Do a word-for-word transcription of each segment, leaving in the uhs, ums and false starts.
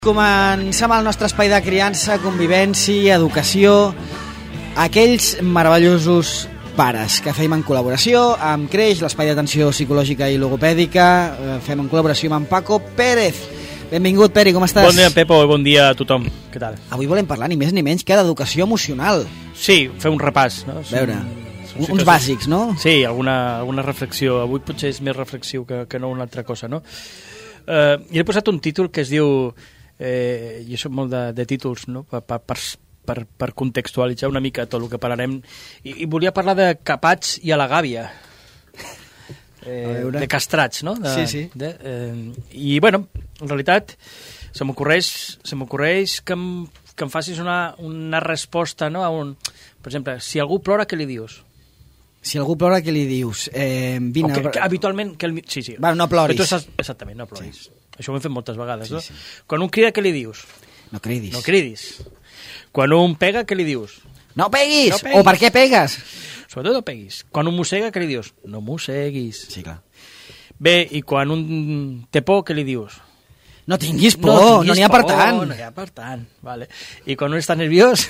Comencem el nostre espai de criança, convivència, educació, aquells meravellosos pares que fem en col·laboració amb Creix, l'espai d'atenció psicològica i logopèdica, fem en col·laboració amb en Paco Pérez. Benvingut, Peri, com estàs? Bon dia, Pepo, i bon dia a tothom. Què tal? Avui volem parlar ni més ni menys que d'educació emocional. Sí, fer un repàs, no? A veure, Són uns bàsics, no? Sí, alguna, alguna reflexió. Avui potser és més reflexiu que, que no una altra cosa, no? Uh, I he posat un títol que es diu... Eh, jo soc molt de, de títols, no? per, per, per, per contextualitzar una mica tot el que parlarem, i, i volia parlar de capats i a la gàbia, eh, de castrats, no? De, sí, sí. De, eh, I, bueno, en realitat se m'ocorreix se m'ocorreix que, em, que em facis una, una resposta, no? A un, per exemple, si algú plora, què li dius? Si algú plora, què li dius? Eh, vine, que, que, habitualment... Que el, sí, sí. Bueno, no ploris. Tu saps, exactament, no ploris. Sí. Això ho hem fet moltes vegades, sí, no? Sí. Quan un crida, què li dius? No cridis. No cridis. Quan un pega, què li dius? No peguis! No peguis. O per què pegues? Sobretot no peguis. Quan un mossega, què li dius? No mosseguis. Sí, clar. Bé, i quan un té por, què li dius? No tinguis por, no n'hi ha per tant. No n'hi ha per tant, vale. I quan un està nerviós...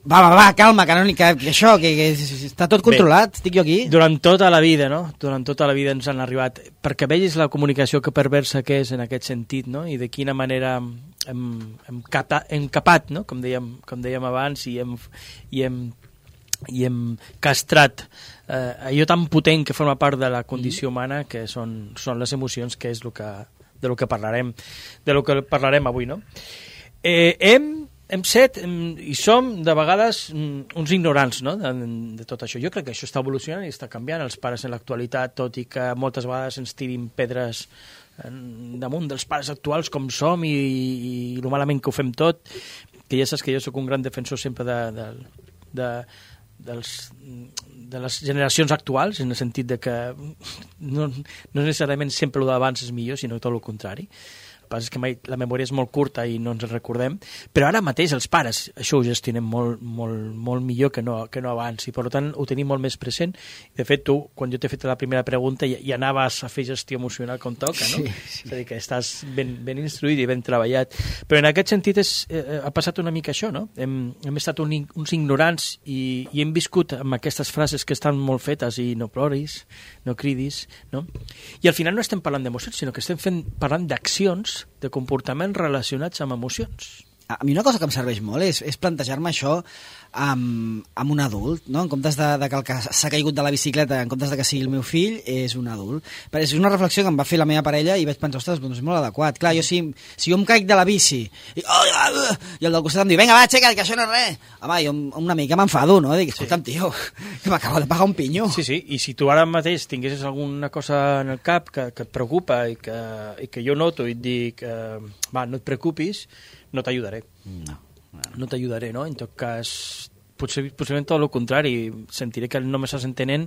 Va, va, va, calma, que, no, que, que això, que, que està tot controlat, bé, estic jo aquí. Durant tota la vida, no? Durant tota la vida ens han arribat, perquè vegis la comunicació que perversa que és en aquest sentit, no? I de quina manera hem, hem, capa, hem capat, no? Com dèiem, com dèiem abans, i hem, i hem, i hem castrat eh, allò tan potent que forma part de la condició humana, que són, són les emocions, que és lo que, de lo que parlarem, de lo que parlarem avui, no? Eh, hem hem set i som de vegades uns ignorants, no? de, de tot això. Jo crec que això està evolucionant i està canviant. Els pares en l'actualitat, tot i que moltes vegades ens tirin pedres damunt dels pares actuals com som i, i, i lo malament que ho fem tot, que ja saps que jo sóc un gran defensor sempre de, de, de, dels, de les generacions actuals, en el sentit de que no, no necessàriament sempre el d'abans és millor, sinó tot el contrari. El que passa és que mai, la memòria és molt curta i no ens en recordem, però ara mateix els pares això ho gestionem molt, molt, molt millor que no, que no abans, i per tant ho tenim molt més present. De fet, tu, quan jo t'he fet la primera pregunta, ja, ja anaves a fer gestió emocional com toca, no? Sí, sí. És a dir, que estàs ben, ben instruït i ben treballat. Però en aquest sentit és, eh, ha passat una mica això, no? Hem, hem estat un, uns ignorants i, i hem viscut amb aquestes frases que estan molt fetes, i no ploris, no cridis, no? I al final no estem parlant d'emocions, sinó que estem fent, parlant d'accions, de comportaments relacionats amb emocions. A mi una cosa que em serveix molt és, és plantejar-me això amb, amb un adult, no? En comptes de, de que el que s'ha caigut de la bicicleta, en comptes de que sigui el meu fill, és un adult. Però és una reflexió que em va fer la meva parella i vaig pensar, ostres, doncs és molt adequat. Clar, jo si, si jo em caic de la bici i, oh, i el del costat em diu, vinga, va, aixeca't, que això no és res. Home, jo una mica m'enfado, no? Dic, escolta'm, sí. Tio, que m'acabo de pagar un pinyo. Sí, sí, i si tu ara mateix tinguessis alguna cosa en el cap que, que et preocupa i que, i que jo noto i et dic, eh, va, no et preocupis, no t'ajudaré. No, no. No t'ajudaré, no? En tot cas, potser, possiblement tot el contrari. Sentiré que no m'estàs entenent,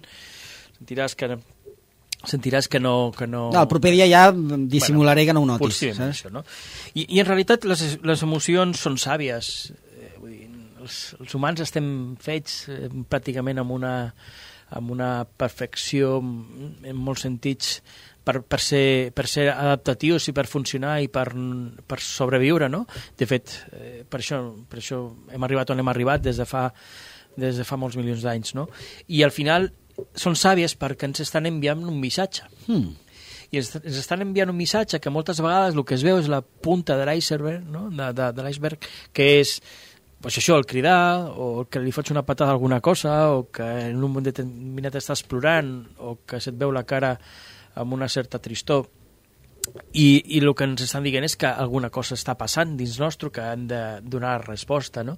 sentiràs que, sentiràs que no... Que no... no, el proper dia ja dissimularé bueno, que no ho notis. Possiblement això, no? I, I en realitat les, les emocions són sàvies. Eh, vull dir, els, els humans estem fets eh, pràcticament amb una, amb una perfecció en molts sentits Per, per, ser, per ser adaptatius i per funcionar i per, per sobreviure, no? De fet, eh, per, això, per això hem arribat on hem arribat des de fa, des de fa molts milions d'anys, no? I al final són sàvies perquè ens estan enviant un missatge. Hmm. I ens, ens estan enviant un missatge que moltes vegades el que es veu és la punta de l'iceberg, no? de, de, de l'iceberg, que és pues això, el cridar, o que li fots una patada a alguna cosa, o que en un moment determinat estàs plorant, o que se't veu la cara amb una certa tristor, i, i el que ens estan dient és que alguna cosa està passant dins nostre que han de donar resposta, no?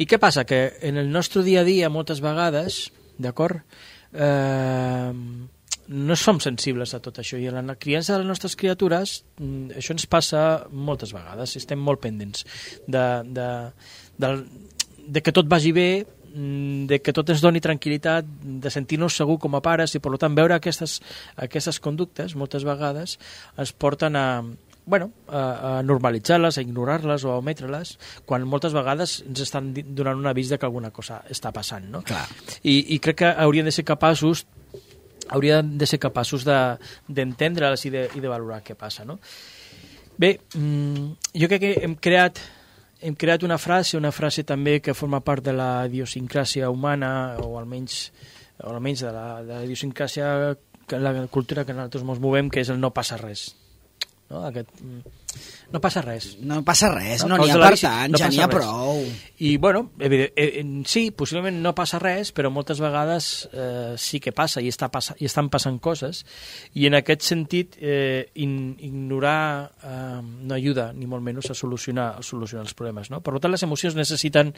I què passa? Que en el nostre dia a dia moltes vegades, d'acord, eh, no som sensibles a tot això, i en la criança de les nostres criatures això ens passa moltes vegades, estem molt pendents de, de, de, de que tot vagi bé, de que tot ens doni tranquil·litat, de sentir-nos segur com a pares, i per tant veure aquestes, aquestes conductes moltes vegades ens porten a, bueno, a, a normalitzar-les, a ignorar-les o a ometre-les, quan moltes vegades ens estan donant un avís de que alguna cosa està passant, no? Clar. I, i crec que haurien de ser capaços haurien de ser capaços de, d'entendre'ls i de, i de valorar què passa, no? Bé, jo crec que hem creat hem creat una frase, una frase també que forma part de la idiosincràsia humana, o almenys, o almenys de la, de la idiosincràsia, que la cultura que nosaltres ens movem, que és el no passa res. No, Aquest, no passa res. No passa res, no, no n'hi ha per tant, no ja n'hi ha prou. I, bueno, evident, eh, sí, possiblement no passa res, però moltes vegades eh, sí que passa i, està passa, i estan passant coses, i en aquest sentit eh, in, ignorar eh, no ajuda, ni molt menys, a solucionar, a solucionar els problemes. No? Per tant, les emocions necessiten,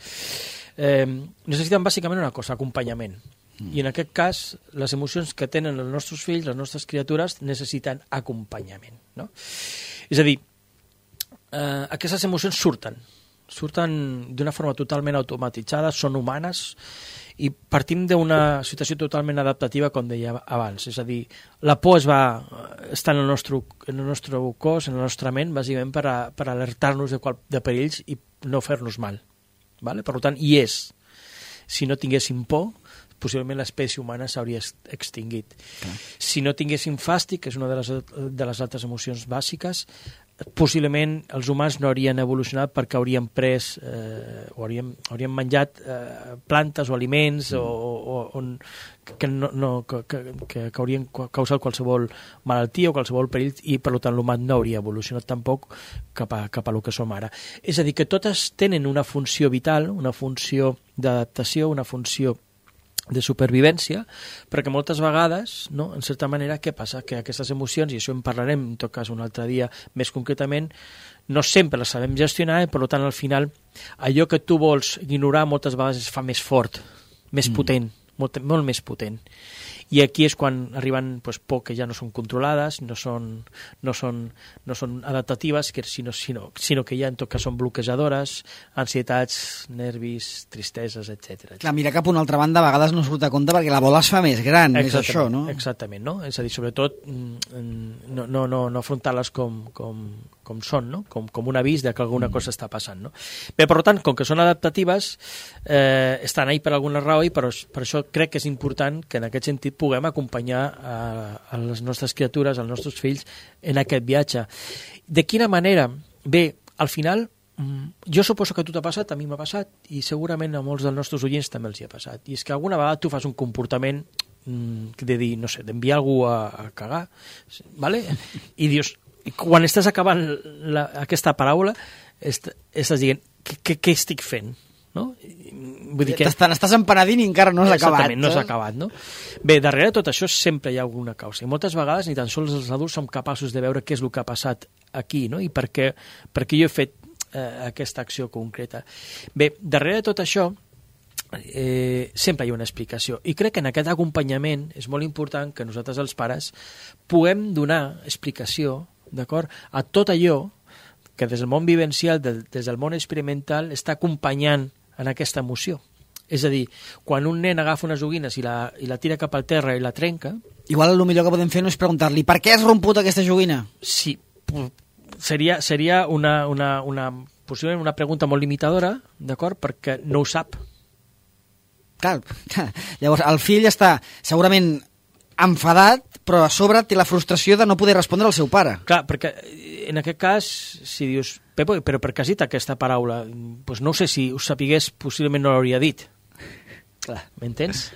eh, necessiten bàsicament una cosa, acompanyament. I en aquest cas, les emocions que tenen els nostres fills, les nostres criatures, necessiten acompanyament. No? És a dir, eh, aquestes emocions surten, surten d'una forma totalment automatitzada, són humanes, i partim d'una situació totalment adaptativa, com deia abans. És a dir, la por es va estar en el nostre, en el nostre cos, en la nostra ment, bàsicament per, a, per alertar-nos de, qual, de perills i no fer-nos mal. Vale? Per tant, hi és. Si no tinguéssim por, possiblement l'espècie humana s'hauria extingit. Okay. Si no tinguéssim fàstic, que és una de les, de les altres emocions bàsiques, possiblement els humans no haurien evolucionat perquè hauríem pres eh, o hauríem, hauríem menjat eh, plantes o aliments mm. o, o, on, que, no, no, que, que, que haurien causat qualsevol malaltia o qualsevol perill, i per tant l'humà no hauria evolucionat tampoc cap a, cap a lo que som ara. És a dir, que totes tenen una funció vital, una funció d'adaptació, una funció de supervivència, perquè moltes vegades, no, en certa manera, què passa? Que aquestes emocions, i això en parlarem en tot cas un altre dia més concretament, no sempre les sabem gestionar, i per tant al final allò que tu vols ignorar moltes vegades es fa més fort, més mm. potent, molt, molt més potent. I aquí és quan arriben pues, por que ja no són controlades, no són, no són, no són adaptatives, que sinó, sinó, sinó que ja en tot cas són bloquejadores, ansietats, nervis, tristeses, etcètera. Clar, mirar cap a una altra banda a vegades no surt a compte perquè la bola es fa més gran, és això, no? Exactament, no? És a dir, sobretot no, no, no, no afrontar-les com, com, com són, no? Com, com un avís de que alguna mm. cosa està passant, no? Bé, per tant, com que són adaptatives, eh, estan ahí per alguna raó, i per, per això crec que és important que en aquest sentit puguem acompanyar a, a les nostres criatures, als nostres fills, en aquest viatge. De quina manera? Bé, al final, jo suposo que a tu t'ha passat, a mi m'ha passat, i segurament a molts dels nostres oients també els hi ha passat. I és que alguna vegada tu fas un comportament de dir, no sé, d'enviar algú a, a cagar, ¿vale? I dius, quan estàs acabant la, aquesta paraula, est, estàs dient, què estic fent? No? Vull dir que... T'estàs empenedint i encara no has acabat. Exactament, no s'ha acabat, no? Bé, darrere de tot això sempre hi ha alguna causa, i moltes vegades ni tan sols els adults som capaços de veure què és el que ha passat aquí, no? I per què, per què jo he fet eh, aquesta acció concreta. Bé, darrere de tot això eh, sempre hi ha una explicació, i crec que en aquest acompanyament és molt important que nosaltres els pares puguem donar explicació, d'acord, a tot allò que des del món vivencial, des del món experimental, està acompanyant en aquesta emoció. És a dir, quan un nen agafa unes joguines i la, i la tira cap al terra i la trenca... Igual el millor que podem fer no és preguntar-li per què has romput aquesta joguina? Sí, seria, seria una, una, una, possiblement una pregunta molt limitadora, d'acord? Perquè no ho sap. Clar, clar, llavors el fill està segurament enfadat, però a sobre té la frustració de no poder respondre al seu pare. Clar, perquè en aquest cas, si dius, Pepo, però per què has dit aquesta paraula? Pues no sé, si ho sapigués, possiblement no l'hauria dit. Clar, m'entens?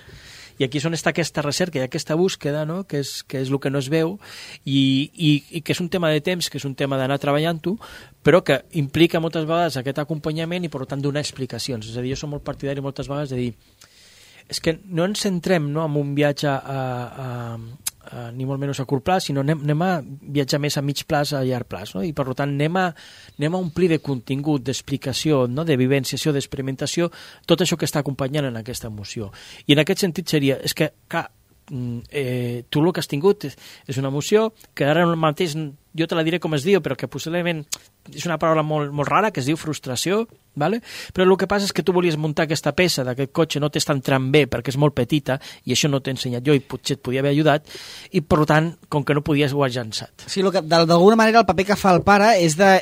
I aquí és on està aquesta recerca i aquesta búsqueda, no? que, és, que és el que no es veu, i, i, i que és un tema de temps, que és un tema d'anar treballant-ho, però que implica moltes vegades aquest acompanyament i, per tant, donar explicacions. És a dir, jo som molt partidari moltes vegades de dir és que no ens centrem, no, en un viatge a, a, a, ni molt menys a curt plaç, sinó anem, anem a viatjar més a mig plaç, a llarg plaç, no? I per tant anem a, anem a omplir de contingut, d'explicació, no? De vivenciació, d'experimentació, tot això que està acompanyant en aquesta emoció. I en aquest sentit seria, és que, clar, eh, tu el que has tingut és, és una emoció que ara mateix jo te la diré com es diu, però que possiblement és una paraula molt, molt rara, que es diu frustració, ¿vale? Però el que passa és que tu volies muntar aquesta peça d'aquest cotxe, no t'està entrant bé perquè és molt petita, i això no t'he ensenyat jo i potser et podia haver ajudat, i per tant, com que no podies, ho has llançat. Sí, que, d'alguna manera el paper que fa el pare és de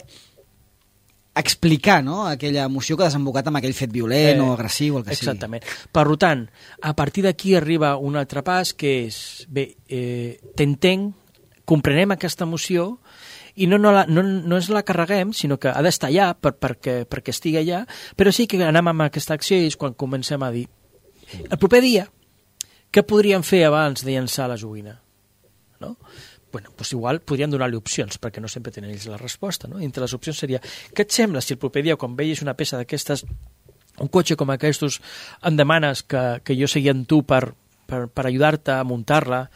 explicar, no?, aquella emoció que ha desembocat amb aquell fet violent eh, o agressiu, el que sigui. Exactament. Per tant, a partir d'aquí arriba un altre pas, que és, bé, eh, t'entenc, comprenem aquesta emoció i no, no, la, no, no ens la carreguem, sinó que ha d'estar allà per, perquè, perquè estigui allà, però sí que anem amb aquesta acció i és quan comencem a dir el proper dia, què podríem fer abans de llançar la joguina? No? Bueno, doncs igual podríem donar-li opcions, perquè no sempre tenen ells la resposta, no? Entre les opcions seria, què et sembla si el proper dia, quan vegis una peça d'aquestes, un cotxe com aquests, em demanes que, que jo segui amb tu per, per, per ajudar-te a muntar-la,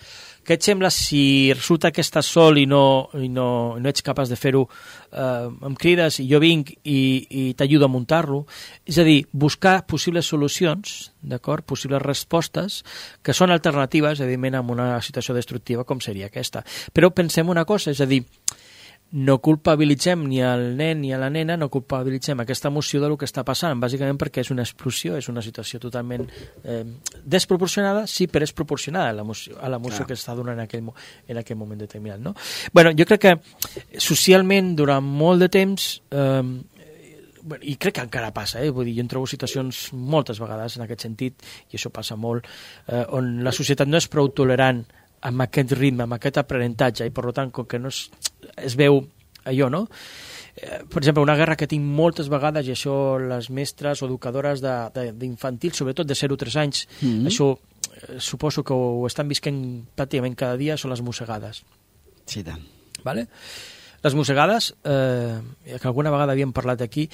què et sembla si resulta que estàs sol i no, i no, no ets capaç de fer-ho, eh, em crides i jo vinc i, i t'ajudo a muntar-lo? És a dir, buscar possibles solucions, d'acord, possibles respostes que són alternatives, evidentment, a una situació destructiva com seria aquesta. Però pensem una cosa, és a dir, no culpabilitzem ni el nen ni a la nena, no culpabilitzem aquesta emoció del que està passant, bàsicament perquè és una explosió, és una situació totalment eh, desproporcionada, sí, però és proporcionada a l'emoció, a l'emoció que està donant en aquell, en aquell moment determinat. No? Bueno, jo crec que socialment, durant molt de temps, eh, i crec que encara passa, eh? Vull dir, jo em trobo situacions moltes vegades en aquest sentit, i això passa molt, eh, on la societat no és prou tolerant amb aquest ritme, amb aquest aprenentatge, i per tant, com que no es, es veu allò, no? Eh, per exemple, una guerra que tinc moltes vegades, i això les mestres o educadores d'infantil, sobretot de zero a tres anys, mm-hmm. això eh, suposo que ho estan visquent pràcticament cada dia, són les mossegades. Sí, tant. Vale? Les mossegades, eh, que alguna vegada havíem parlat aquí,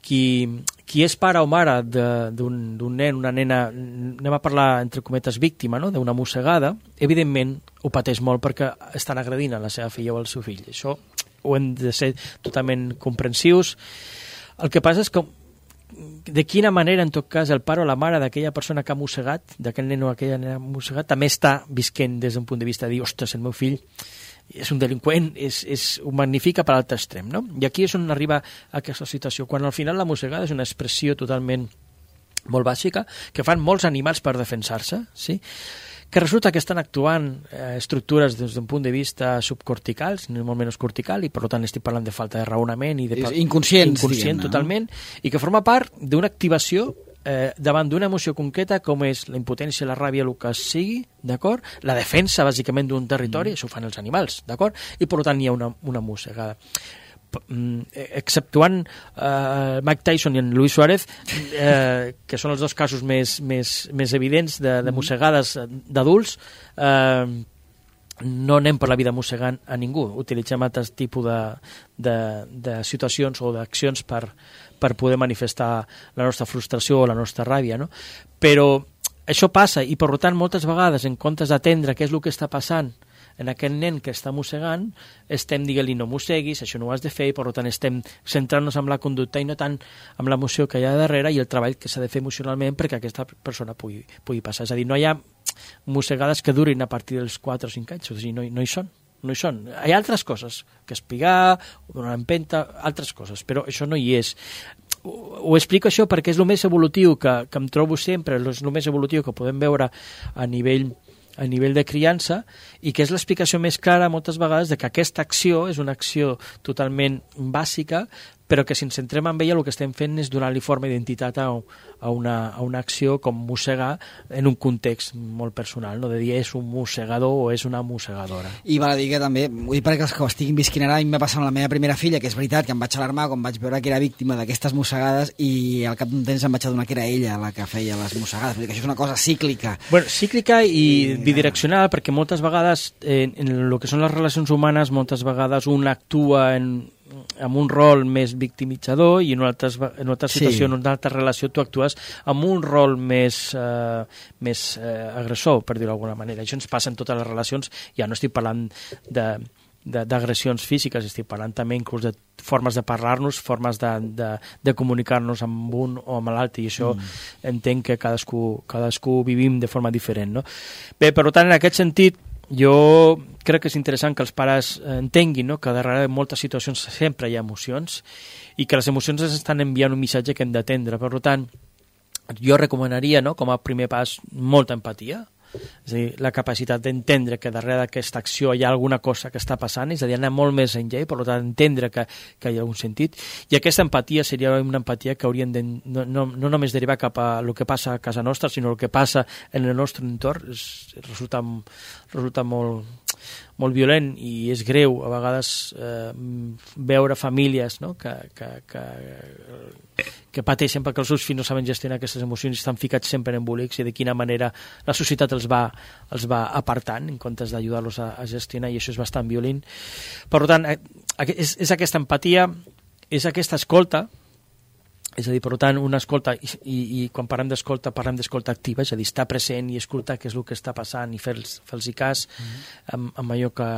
qui, qui és pare o mare d'un nen, una nena, anem a parlar entre cometes víctima, no? D'una mossegada, evidentment ho pateix molt perquè estan agredint a la seva filla o al seu fill. Això ho hem de ser totalment comprensius. El que passa és que de quina manera, en tot cas, el pare o la mare d'aquella persona que ha mossegat, d'aquell nen o aquella nena mossegat, també està visquent des d'un punt de vista de dir, ostres, el meu fill és un delinqüent, és, és, ho magnifica per l'altre extrem, no? I aquí és on arriba aquesta situació, quan al final la mossegada és una expressió totalment molt bàsica, que fan molts animals per defensar-se, sí? Que resulta que estan actuant eh, estructures des d'un punt de vista subcorticals, ni molt menys cortical, i per tant estic parlant de falta de raonament i de inconscients, inconscient totalment, i que forma part d'una activació eh, davant d'una emoció concreta com és la impotència, la ràbia, el que sigui, d'acord? La defensa, bàsicament, d'un territori, mm. això ho fan els animals, d'acord? I per tant hi ha una, una mossegada. Exceptuant uh, Mike Tyson i en Luis Suárez, eh, que són els dos casos més, més, més evidents de, de mossegades d'adults, eh, no anem per la vida mossegant a ningú, utilitzem altres tipus de, de, de situacions o d'accions per, per poder manifestar la nostra frustració o la nostra ràbia, no? Però això passa i per tant moltes vegades en comptes d'atendre què és el que està passant en aquest nen que està mossegant, estem dient-li no mosseguis, això no ho has de fer, i per tant estem centrant-nos en la conducta i no tant en l'emoció que hi ha darrere i el treball que s'ha de fer emocionalment perquè aquesta persona pugui, pugui passar. És a dir, no hi ha mossegades que durin a partir dels quatre o cinc anys, o sigui, no, no hi són. No hi són. Hi ha altres coses, que espigar, donar empenta, altres coses, però això no hi és. Ho, ho explico això perquè és el més evolutiu que, que em trobo sempre, és el més evolutiu que podem veure a nivell a nivell de criança, i que és l'explicació més clara moltes vegades de que aquesta acció és una acció totalment bàsica, però que si ens centrem en ella el que estem fent és donar-li forma d'identitat a, a, una, a una acció com mossegar en un context molt personal, no? De dir és un mossegador o és una mossegadora. I val a dir que també, ho dic perquè els que ho estiguin visquint ara, a mi m'ha passat amb la meva primera filla, que és veritat que em vaig alarmar quan vaig veure que era víctima d'aquestes mossegades i al cap d'un temps em vaig adonar que era ella la que feia les mossegades. Vull dir que això és una cosa cíclica. Bueno, cíclica i, i bidireccional, perquè moltes vegades en, en el que són les relacions humanes, moltes vegades un actua en amb un rol més victimitzador i en una altra, en una altra situació, sí. En una altra relació tu actues amb un rol més, eh, més eh, agressor, per dir-ho d'alguna manera. Això ens passa en totes les relacions, ja no estic parlant de d'agressions físiques, estic parlant també inclús de formes de parlar-nos, formes de, de, de comunicar-nos amb un o amb l'altre, i això mm. entenc que cadascú, cadascú vivim de forma diferent, no? Bé, per tant, en aquest sentit, jo crec que és interessant que els pares entenguin, no? Que darrere de moltes situacions sempre hi ha emocions i que les emocions ens estan enviant un missatge que hem d'atendre. Per tant, jo recomanaria, no? Com a primer pas, molta empatia, és a dir, la capacitat d'entendre que darrere d'aquesta acció hi ha alguna cosa que està passant, és a dir, anar molt més enllà i per tant entendre que, que hi ha un sentit, i aquesta empatia seria una empatia que haurien de no, no, no només derivar cap a el que passa a casa nostra, sinó el que passa en el nostre entorn. És, resulta, resulta molt, molt violent i és greu a vegades eh, veure famílies, no? que, que, que, que pateixen perquè els seus fills no saben gestionar aquestes emocions i estan ficats sempre en embolics, i de quina manera la societat els va, els va apartant en comptes d'ajudar-los a, a gestionar, i això és bastant violent. Per tant, és, és aquesta empatia, és aquesta escolta. És a dir, per tant, una escolta, i, i, i quan parlem d'escolta, parlem d'escolta activa, és a dir, estar present i escoltar què és el que està passant i fer-los fer cas mm-hmm. amb, amb allò que,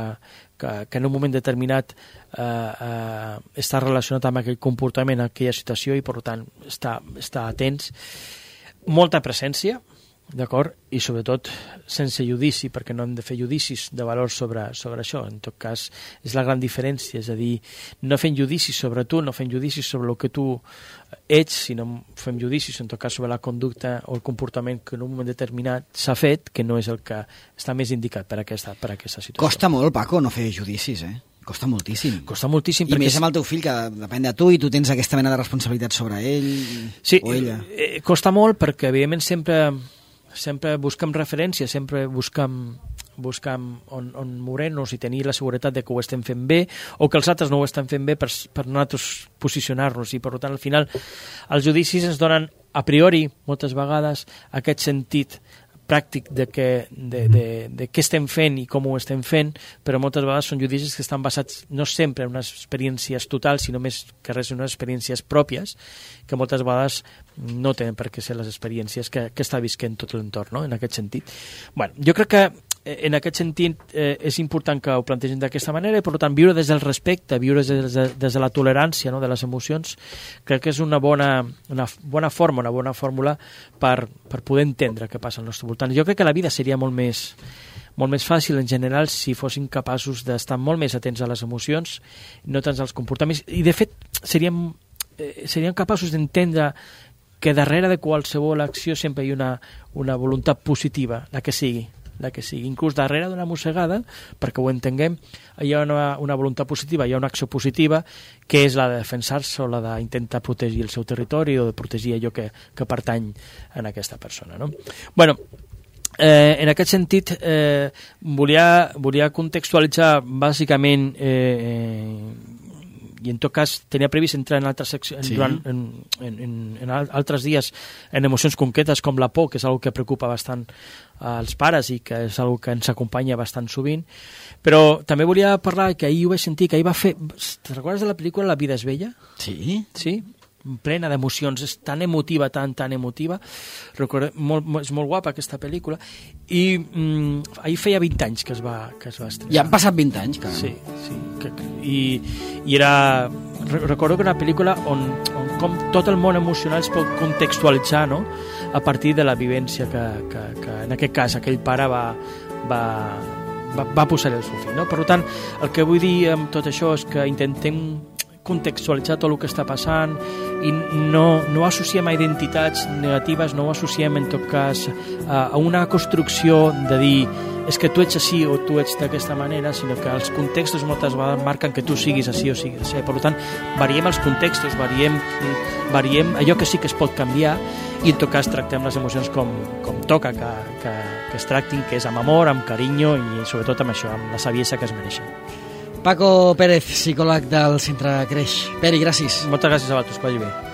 que, que en un moment determinat eh, eh, està relacionat amb aquell comportament, aquella situació, i per tant, estar, estar atents. Molta presència, d'acord? I sobretot sense judici, perquè no hem de fer judicis de valor sobre, sobre això. En tot cas, és la gran diferència, és a dir, no fem judicis sobre tu, no fem judicis sobre el que tu ets, sinó fem judicis, en tot cas, sobre la conducta o el comportament que en un moment determinat s'ha fet, que no és el que està més indicat per aquesta, per aquesta situació. Costa molt, Paco, no fer judicis, eh? Costa moltíssim. Costa moltíssim. I més amb el teu fill, que depèn de tu, i tu tens aquesta mena de responsabilitat sobre ell sí, o ella. Eh, costa molt perquè, evidentment, sempre... sempre busquem referència, sempre busquem, busquem on, on moure-nos i tenir la seguretat de que ho estem fent bé o que els altres no ho estan fent bé per, per nosaltres posicionar-nos, i per tant al final els judicis ens donen a priori moltes vegades aquest sentit pràctic de, que, de, de, de què estem fent i com ho estem fent, però moltes vegades són judicis que estan basats no sempre en unes experiències totals, sinó més que res en unes experiències pròpies, que moltes vegades no tenen per què ser les experiències que, que està visquent tot l'entorn, no? En aquest sentit. Bueno, jo crec que en aquest sentit eh, és important que ho plantegem d'aquesta manera, i per tant viure des del respecte, viure des de, des de la tolerància, no? De les emocions, crec que és una bona, una bona forma, una bona fórmula per, per poder entendre què passa al nostre voltant. Jo crec que la vida seria molt més, molt més fàcil en general si fossin capaços d'estar molt més atents a les emocions, no tant als comportaments, i de fet seríem, eh, seríem capaços d'entendre que darrere de qualsevol acció sempre hi ha una, una voluntat positiva, la que sigui, la que sigui. Inclús darrere d'una mossegada, perquè ho entenguem, hi ha una, una voluntat positiva, hi ha una acció positiva, que és la de defensar-se o la d'intentar protegir el seu territori o de protegir allò que, que pertany a aquesta persona, no? Bueno, eh, en aquest sentit, eh, volia, volia contextualitzar bàsicament eh, i en tot cas tenia previst entrar en altres, seccions, sí. durant, en, en, en, en altres dies en emocions concretes com la por, que és una que preocupa bastant als pares i que és una que ens acompanya bastant sovint, però també volia parlar, que ahir ho vaig sentir, que ahir va fer... Te'n recordes de la pel·lícula La vida és bella? Sí. Sí? Plena d'emocions, és tan emotiva, tan, tan emotiva. Recordo, molt, és molt guapa aquesta pel·lícula, i mm, ahir feia vint anys que es va, que es va estrenar. Ja han passat vint anys, cara. Sí, sí. Que, i, i era... Recordo que era una pel·lícula on, on com tot el món emocional es pot contextualitzar, no? A partir de la vivència que, que, que en aquest cas aquell pare va, va, va, va posar el seu fill, no? Per tant, el que vull dir amb tot això és que intentem contextualitzar tot el que està passant i no, no associem a identitats negatives, no ho associem en tot cas a, a una construcció de dir és que tu ets així o tu ets d'aquesta manera, sinó que els contextos moltes vegades marquen que tu siguis així o siguis així. Per tant, variem els contextos, variem, variem allò que sí que es pot canviar, i en tot cas tractem les emocions com, com toca que, que, que es tractin, que és amb amor, amb carinyo i sobretot amb això, amb la saviesa que es mereixen. Paco Pérez, psicòleg del Centre Creix. Peri, gràcies. Moltes gràcies a vosaltres, que vagi bé.